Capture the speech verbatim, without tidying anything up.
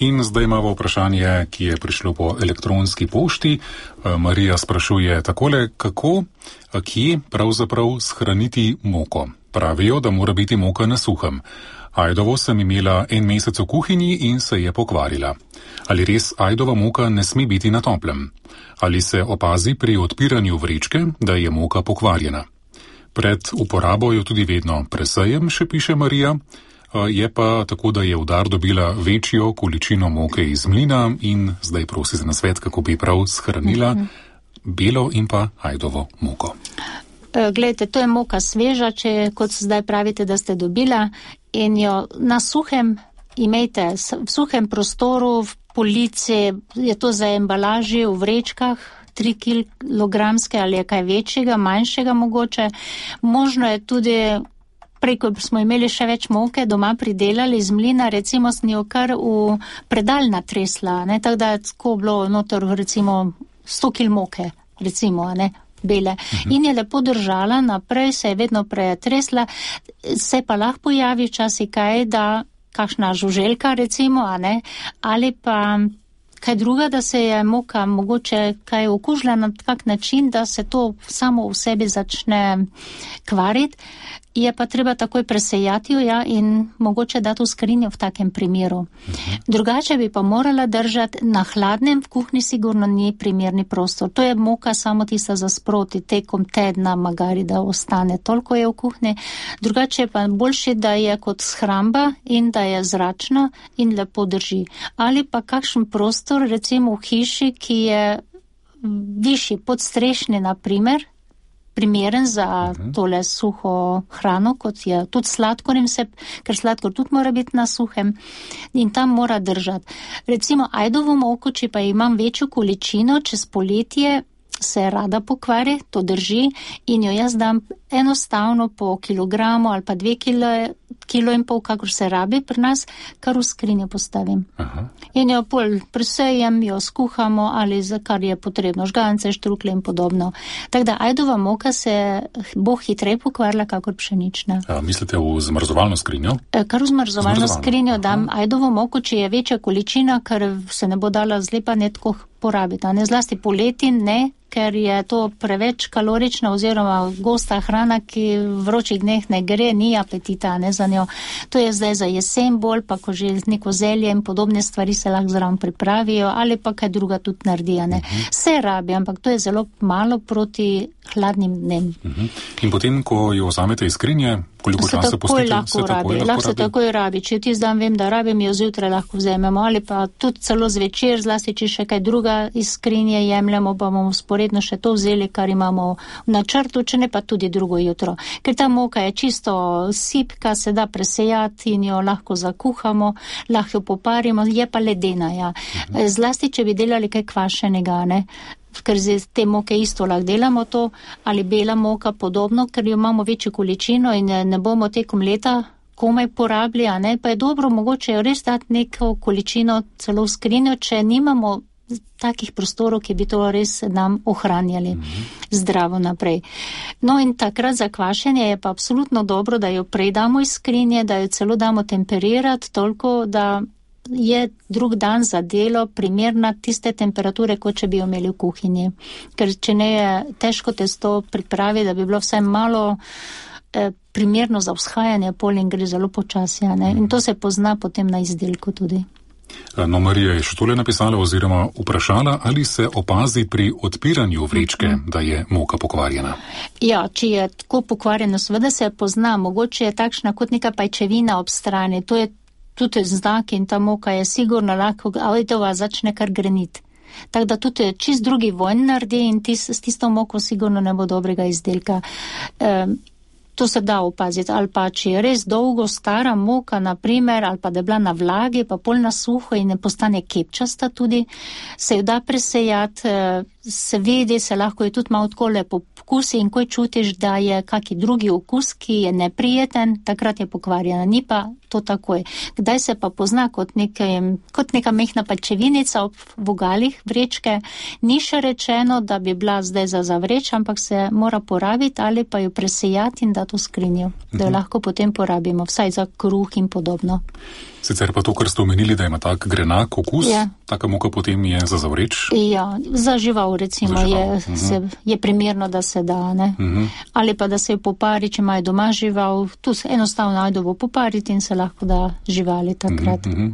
In zdaj imamo vprašanje, ki je prišlo po elektronski pošti. Marija sprašuje takole, kako, kje pravzaprav shraniti moko. Pravijo, da mora biti moka na suhem. Ajdovo sem imela en mesec v kuhinji in se je pokvarila. Ali res ajdova moka ne sme biti na toplem? Ali se opazi pri odpiranju vrečke, da je moka pokvarjena? Pred uporabo jo tudi vedno presejem, še piše Marija. Je pa tako, da je v dar dobila večjo količino moke iz mlina in zdaj prosi za nasvet, kako bi prav shranila belo in pa ajdovo moko. Glejte, to je moka sveža, če kot zdaj pravite, da ste dobila in jo na suhem imejte, v suhem prostoru, v polici, je to za embalaži, v vrečkah, tri kilogramske ali je kaj večjega, manjšega mogoče. Možno je tudi, prej, ko smo imeli še več moke doma pridelali iz mlina, recimo sem jo kar v predal natresla, ne, tako da je tako bilo noter recimo sto kil moke, recimo, ne, bele. Uh-huh. In je lepo držala naprej, se je vedno pretresla, se pa lahko pojavi včasih kaj, da kakšna žuželka recimo, a ne, ali pa kaj druga, da se je moka mogoče kaj okužila na tak način, da se to samo v sebi začne kvariti. Je pa treba takoj presejati jo, ja, in mogoče dati v skrinjo v takem primeru. Drugače bi pa morala držati na hladnem, v kuhni sigurno ni primerni prostor. To je moka samo tista za sproti, tekom tedna, magari, da ostane toliko je v kuhni. Drugače je pa boljše, da je kot shramba in da je zračna in lepo drži. Ali pa kakšen prostor, recimo v hiši, ki je višji, podstrešni, na primer, primeren za uh-huh. tole suho hrano, kot je tudi sladkor, se, ker sladkor tudi mora biti na suhem in tam mora držati. Recimo ajdovo moko, če pa imam večjo količino, čez poletje se rada pokvari, to drži in jo jaz dam enostavno po kilogramu ali pa dve kilo, kilo in pol, kakor se rabi pri nas, kar v skrinjo postavim. Aha. In jo pol presejem, jo skuhamo ali za kar je potrebno, žgance, štrukle in podobno. Tako da ajdova moka se bo hitreje pokvarila, kakor pšenična. A, mislite v zmrzovalno skrinjo? E, kar v zmrzovalno skrinjo dam ajdovo moko, če je večja količina, ker se ne bo dala zlepa netko porabiti. Ne zlasti poleti ne, ker je to preveč kalorična oziroma gosta hrana, ki v vročih dneh ne gre, ni apetita, ne, za njo. To je zdaj za jesen bolj, pa ko že neko zelje in podobne stvari se lahko zraven pripravijo, ali pa kaj druga tudi naredijo, ne. Uh-huh. Se rabi, ampak to je zelo malo proti hladnim dnem. Uh-huh. In potem, ko jo vzamete iz skrinje, koliko časa pustite? Lahko se takoj rabi, lahko se takoj rabi. Če ti zdaj vem, da rabim, jo zjutraj lahko vzamemo, ali pa tudi celo zvečer, zlasti če še kaj druga iz skrinje jemljemo, pa bomo sporedno še to vzeli, kar imamo v načrtu, če ne pa tudi drugo jutro. Ker ta moka je čisto sipka, se da presejati in jo lahko zakuhamo, lahko jo poparimo, je pa ledena, ja. Uh-huh. Zlasti, če bi delali kaj kvašenega, ne, ker z te moke isto lahko delamo to, ali bela moka podobno, ker jo imamo večjo količino in ne bomo tekom leta komaj porabili, a ne, pa je dobro mogoče jo res dati neko količino celo v skrinjo, če nimamo takih prostorov, ki bi to res nam ohranjali mm-hmm. zdravo naprej. No in takrat za kvašenje je pa absolutno dobro, da jo prej damo iz skrinje, da jo celo damo temperirati toliko, da je drug dan za delo primerna tiste temperature, kot če bi jo imeli v kuhinji. Ker če ne je težko testo pripravi, da bi bilo vsaj malo eh, primerno za vzhajanje pol in gre zelo počasi, ne? In to se pozna potem na izdelku tudi. No, Marija je še tole napisala oziroma vprašala, ali se opazi pri odpiranju vrečke, mm-hmm. da je moka pokvarjena. Ja, če je tako pokvarjena, seveda se pozna, mogoče je takšna kot neka pajčevina ob strani, to je tudi znak in ta moka je sigurno lahko, ajdova začne kar greniti. Tako da tudi čist drugi vojn naredi in tis, s tisto moko sigurno ne bo dobrega izdelka. Um, To se da opaziti, ali pa če je res dolgo stara moka, na primer, ali pa da je bila na vlagi, pa pol na suho in ne postane kepčasta tudi, se jo da presejati, se vidi, se lahko je tudi malo tako lepo pokusi in ko čutiš, da je kaki drugi okus, ki je neprijeten, takrat je pokvarjena, ni pa to takoj. Kdaj se pa pozna kot, nekaj, kot neka mehna pačevinica ob vogalih vrečke, ni še rečeno, da bi bila zdaj za zavreč, ampak se mora porabiti ali pa jo presejati in dati v skrinjo, da jo lahko potem porabimo, vsaj za kruh in podobno. Sicer pa to, kar ste omenili, da ima tak grenak okus, ja. taka moka potem je za zavreč? Ja, za žival recimo za žival. Je, uh-huh. se, je primerno, da se da, ne. Uh-huh. Ali pa da se jo popari, če imajo doma žival, tu se enostavno najdo bo popariti in se lahko da živali takrat. Uh-huh.